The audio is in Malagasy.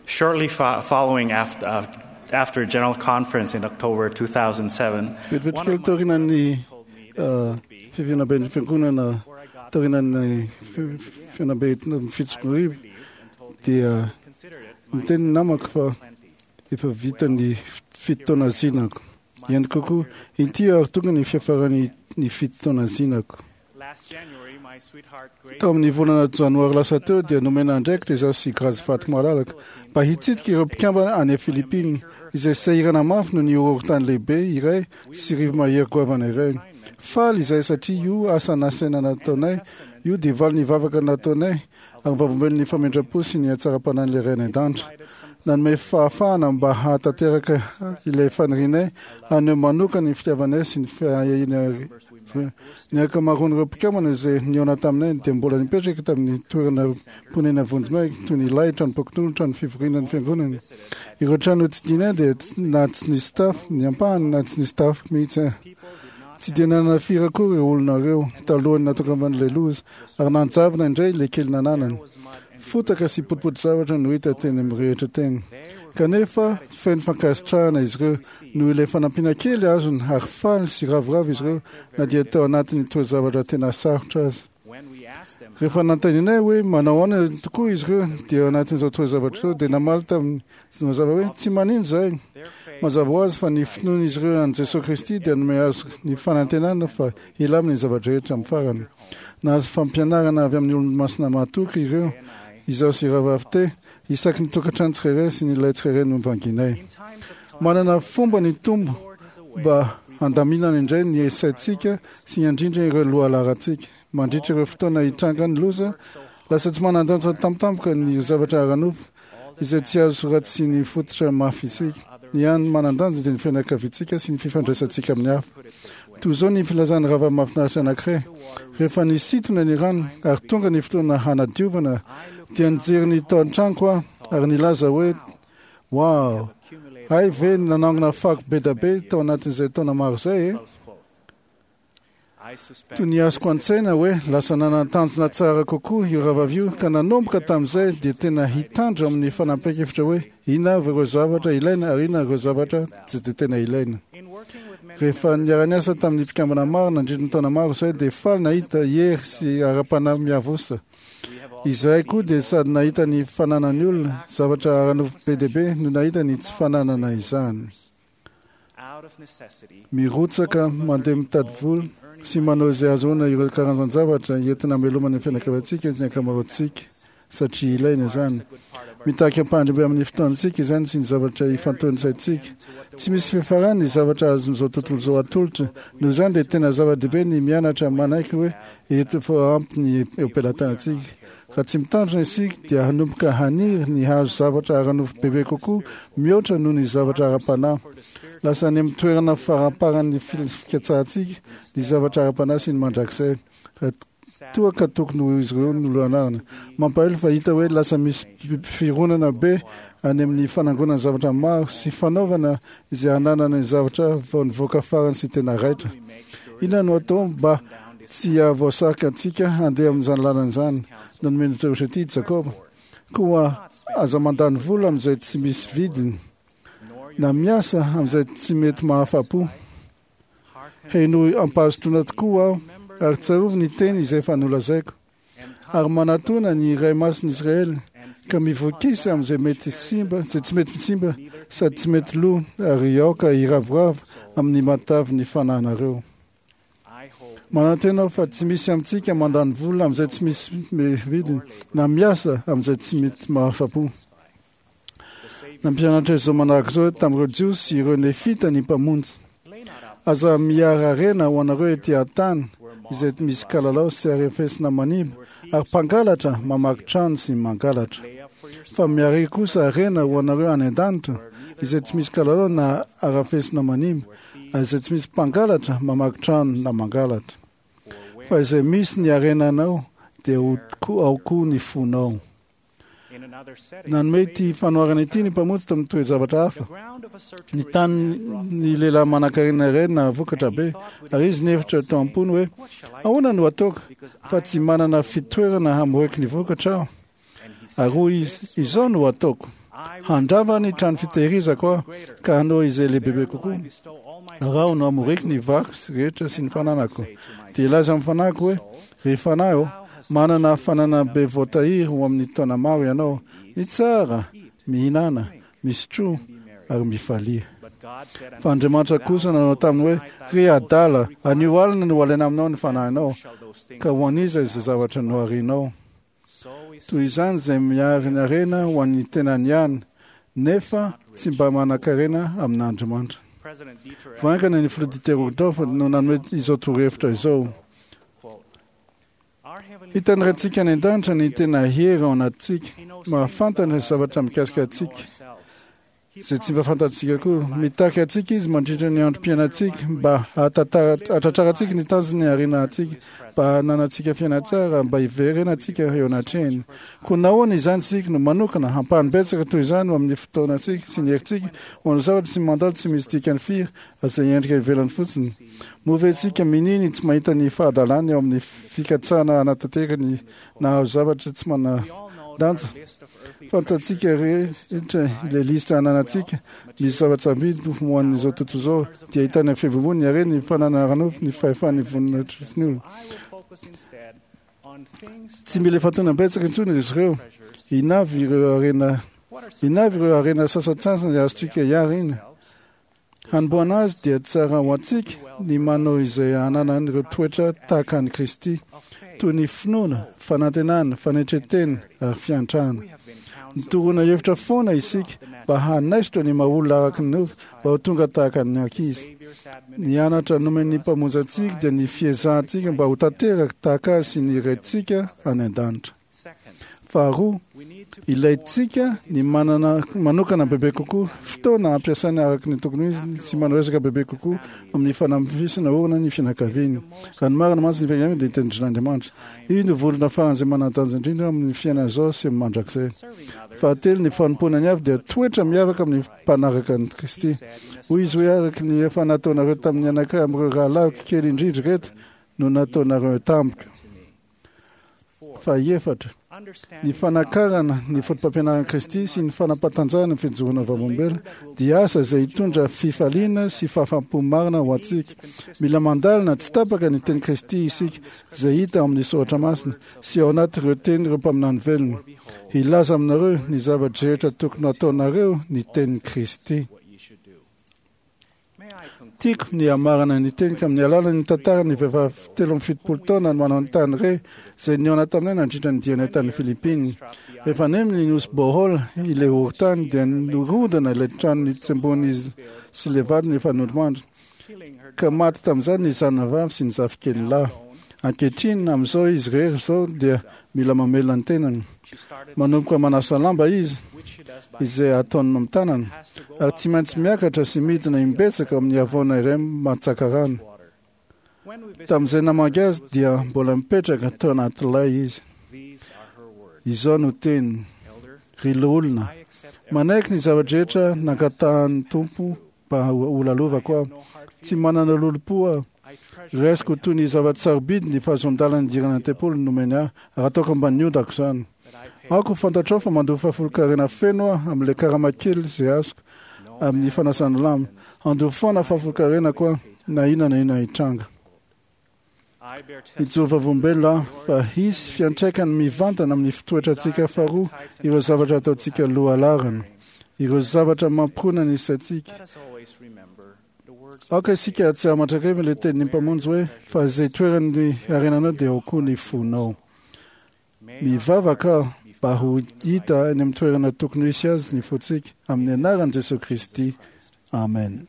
Shortly following after General Conference in October 2007, Vetivety kely taorian'ny fivoriamben'ny fiangonana taorian'ny fihaonambe 2007 dia niteny ny namako fa efa vita ny fito taona zinako. Ihany kokoa, inty ary tonga ny fiafaran'ny ny fito taona zinako. Tao amin'ny volana janoary lasa teo dia nomena andraikitra izaho sy Grace Vaty Malalaka mba hitsidika ireo mpikambana any Philippines izay sahirana mafy noho ny horohorontany lehibe iray sy rivo-mahery goavana iray. Faly izahay satria io asa nasaina nataonay io dia valin'ny vavaka nataonay ary vavolombelon'ny famindram-po sy ny hatsaram-panahin'ilay Ray any An-danitra. Nanome fahafahana mba hahatanteraka ilay fanirianay haneho manokana ny fitiavanay sy ny fiahianay. Ny ankamaroan'ireo mpikambana izay nihaona taminay dia mbola nipetraka tamin'ny toerana ponenana vonjimaika toy ny lay, tranom-pokonolona, trano fivoriana ny fiangonana. Ireo trano notsidihinay dia na tsy nisy tafo ny ampahany na tsy nisy tafo mihitsy. Tsy dia nanana firy akory ireo olona ireo talohan'ny nahatongavan'ilay loza ary nanjavona indray ilay kely nananany. Fotaka sy potipoti-javatra no hita teny amin'ny rehetra teny. Kanefa, feno fankasitrahana izy ireo noho ilay fanampiana kely azony ary faly sy ravoravo izy ireo na dia tao anatin'ny toe-javatra tena sarotra aza. Rehefa nanontanianay hoe manao ahoana tokoa izy ireo dia ao anatin'izao toe-javatra izao dia namaly tamin'ny mazava hoe tsy manino izahay. Mazava ho azy fa ny finoan'izy ireo an'i Jesoa Kristy dia nanome azy ny fanantenana fa hilamina ny zava-drehetra amin'ny farany. Nahazo fampianarana avy amin'ny olo-masina mahatoky ireo, izaho sy Rahavavy Te, isaky ny tokantrano tsirairay sy ny ilay tsirairay novanginay. Manana fomba ny Tompo mba handaminana indray ny saintsika sy handrindra ireo lohalaharantsika. Mandritra ireo fotoana hitrangan'ny loza, lasa tsy manan-danja tampotampoka ny zavatra ara-nofo izay tsy azo raha tsy ny fototra mafy isika. Ny hany manan-danja dia ny fianakaviantsika sy ny fifandraisantsika amin'ny hafa. Toy izao ny filazan'ny rahavavy mahafinaritra anankiray, Rehefa nisintona ny rano ary tonga ny fotoana hanadiovana, dia nijery ny tao an-tranoko aho ary nilaza hoe, Wow! Hay ve nanangona fako be da be tao anatin'izay taona maro izay e! Toy ny azoko an-tsaina hoe lasa nanana tanjona tsara kokoa io rahavavy io ka nanomboka tamin'izay dia tena hitandro amin'ny fanapahan-kevitra hoe inona avy ireo zavatra ilaina ary inona ireo zavatra tsy dia tena ilaina. Rehefa niara-niasa tamin'ny mpikambana maro nandritra ny taona maro izahay dia faly nahita hery sy ara-panahy miavosa. Izahay koa dia sady nahita ny fananan'ny olona zavatra ara-nofo be dia be no nahita ny tsy fananana izany. Mirotsaka mandeha mitady vola sy manao izay ahazoana ireo karazan-javatra entina hamelomana ny fianakaviantsika ny ankamaroantsika, satria ilaina izany. Mitaky ampahany amin'ny fotoantsika izany sy ny zavatra ifantohan'ny saintsika. Tsy misy fiafarany ny zavatra azon'izao tontolo izao atolotra. Noho izany dia tena zava-dehibe ny mianatra manaiky hoe eto efa ampy ny eo am-pelatanantsika. Raha tsy mitandrina isika dia hanomboka haniry ny hahazo zavatra ara-nofo bebe kokoa mihoatra noho ny zavatra ara-panahy. Lasa any amin'ny toerana faramparan'ny fikatsahantsika ny zavatra ara-panahy sy ny mandrakizay, raha toa ka tokony ho izy ireo no lohanarana. Mampalahelo fa hita hoe lasa misy fironana be any amin'ny fanangonana zavatra maro sy fanaovana izay hananana ny zavatra vao nivoaka farany sy tena raitra. Inona no atao mba tsy hahavoasarika antsika handeha amin'izany lalana izany? Nanome ny torohevitra ity i Jakoba, Koa aza mandany vola amin'izay tsy misy vidiny, na miasa amin'izay tsy mety mahafa-po. Henoy am-pahazotoana tokoa aho, ary tsarovy ny teny izay efa nolazaiko. Ary manatòna ny Iray Masin'i Israely, ka mivokisa amin'izay mety simba, izay tsy mety simba sady tsy mety lo, ary aoka hiravoravo amin'ny matavy ny fanahinareo. Manantena aho fa tsy misy amintsika mandany vola amin'izay tsy misy vidiny, na miasa amin'izay tsy mety mahafa-po. Nampianatra izao manaraka izao tamin'ireo Jiosy sy ireo Nefita ny Mpamonjy, Aza miara-harena ho anareo ety an-tany, izay misy kalalao sy arefesina manimba, ary mpangalatra mamaky trano sy mangalatra. Fa miaria kosa harena ho anareo any an-danitra, izay tsy misy kalalao na arafesina manimba, ary izay tsy misy mpangalatra mamaky trano na mangalatra. Fa izay misy ny harenanao, dia ho ao koa ny fonao. Nanome ity fanoharana ity ny Mpamonjy tamin'ny toe-javatra hafa. Ny tanin'ny lehilahy manankarena iray nahavokatra be, ary izy nihevitra tao am-pony hoe, Ahoana no hataoko, fa tsy manana fitoerana hamoriko ny vokatra aho? Ary hoy izy, Izao no hataoko. Handrava ny trano fitehirizako aho ka hanao izay lehibebe kokoa. Ary aho no hamoriko ny variko sy rehetra sy ny fananako. Dia hilaza amin'ny fanahiko hoe, Ry fanahy ô, manana fananana be voatahiry ho amin'ny taona maro ianao. Mitsara, mihinàna, misotroa ary mifalia. Fa Andriamanitra kosa nanao taminy hoe, Ry adala, anio alina no halaina aminao ny fanahinao, ka ho an'iza izay zavatra noharinao? Toy izany izay mihary ny harena ho an'ny tenany ihany, nefa tsy mba manan-karena amin'Andriamanitra. Vao haingana ny filoha Dieter Uchtdorf no nanome izao torohevitra izao, Hitan'ny Raintsika any an-danitra ny tena hery ao anatintsika, mahafantatra ny zavatra mikasika antsika. izay tsy mba fantatsika koa. Mitaky antsika Izy mandritra ny androm-piainantsika mba hahatratrarantsika ny tanjony harena antsika, mba hananantsika fiainana tsara, mba hiverenantsika eo anatrehany. Koa nahoana izany isika no manokana ampahany betsaka toy izany ho amin'ny fotoanantsika sy ny herintsika ho an'ny zavatra tsy mandalo tsy misy dikany firy izay endrika ivelany fotsiny? Moa ve isika minia ny tsy mahita ny fahadalany ao amin'ny fikatsahana hanatanteraka ny nahazo zavatra tsy manan-danja? Fantatsika rehetra ilay lisitra ananantsika, misy zava-tsarobidy ho an'izao tontolo izao, dia ahitana ny fivomoana, ny harena, ny fananana ara-nofo, ny fahefan'ny voninahitra sy ny olona. Tsy mila ifantohana betsaka intsony izy ireo. Inona avy ireo harena, inona avy ireo harena sasantsasany azontsika iarina? Hanombohana azy dia tsara ho antsika ny manao izay hananana ireo toetra tahaka an'i Kristy, toy ny finoana, fanantenana, fanetren-tena ary fiantrana. Nitoroana hevitra foana isika mba hanaisotra ny maha-olona araka ny nofo mba ho tonga tahaka ny ankizy. Ny anatra nomen'ny Mpamonjy antsika dia ny fiezahantsika mba ho tanteraka tahaka Azy sy ny Raintsika any an-danitra. Faharoa, ilaintsika ny manana manokana bebe kokoa fotoana hampiasaina araka ny tokony ho izy sy manao ezaka bebe kokoa amin'ny fanamafisana orina ny fianakaviana. Raha ny marina mantsy, ny fianakaviana dia tendrin'Andriamanitra. Io no vondrona faran'izay manan-danja indrindra amin'ny fiainana izao sy amin'ny mandrakizay. Fahatelo, ny fanompoana ny hafa dia toetra miavaka amin'ny mpanaraka an'i Kristy. Hoy izy hoe, Araka ny efa nataonareo tamin'ny anankiray amin'ireo rahalahiko kely indrindra ireto no nataonareo tamiko. Fahefatra, ny fanakarana ny fotopampianaran'i Kristy sy ny fanapatanjahana ny fijoroana vavolombelona dia asa izay hitondra fifaliana sy fahafaham-po marina ho antsika. Mila mandalina tsy tapaka ny tenin'i Kristy isika, izay hita ao amin'ny Soratra Masina sy ao anatin'ireo tenin'ireo mpaminany velona. Hilaza aminareo ny zava-drehetra tokony hataonareo ny tenin'i Kristy. Tiako ny hamarana ny teniko amin'ny alalan'ny tantaran'ny vehivavy 73 taona mananontany re izay nihaona taminay nandritra ny dianay tany Philippines. Rehefa nemy ny nosy Bohol ilay horontany dia nirodana ilay trano nitsembohan'izy sy ilay vadiny efa nodimandry ka maty tamin'izany ny zanany vavy sy ny zafikely lahy. Ankehitriny, amin'izao izy irery izao dia mila mamelona ny tenany. Manomboka manasa lamba izy, izay ataony amin'ny tanana, ary tsy maintsy miakatra sy midina imbetsaka amin'ny havoana iray mantsaka rano. Tamin'izay namangy azy dia mbola mipetraka tao anaty lay izy. Izao no teniny, Ry loholona, manaiky ny zava-drehetra nangatahan'ny Tompo mba holalovako aho. Tsy manana lolompo aho. Raisiko ho toy ny zava-tsarobidy ny fahazoan-dalana hidirana ny tempoly nomeny ahy, ary ataoko ambanin'ny ondako izany. Aoka ho fantatrao fa mandoa fahafolonkarena feno aho amin'ilay karama kely izay azoko amin'ny fanasana lamba. Handoa foana fahafolonkarenako aho, na inona na inona hitranga. Mijoro vavolombelona aho fa hisy fiantraikany mivantana amin'ny fitoetrantsika faharoa ireo zavatra ataontsika lohalaharana, ireo zavatra mampirona ny saintsika. Aoka isika hahatsiaro mandrakariva ilay tenin'ny Mpamonjy hoe, Fa izay toeran'ny harenanao dia ao koa ny fonao. Mivavaka aho mba ho hita any amin'ny toerana tokony ho hisy azy ny fontsika, amin'ny anaran'i Jesoa Kristy. Amen.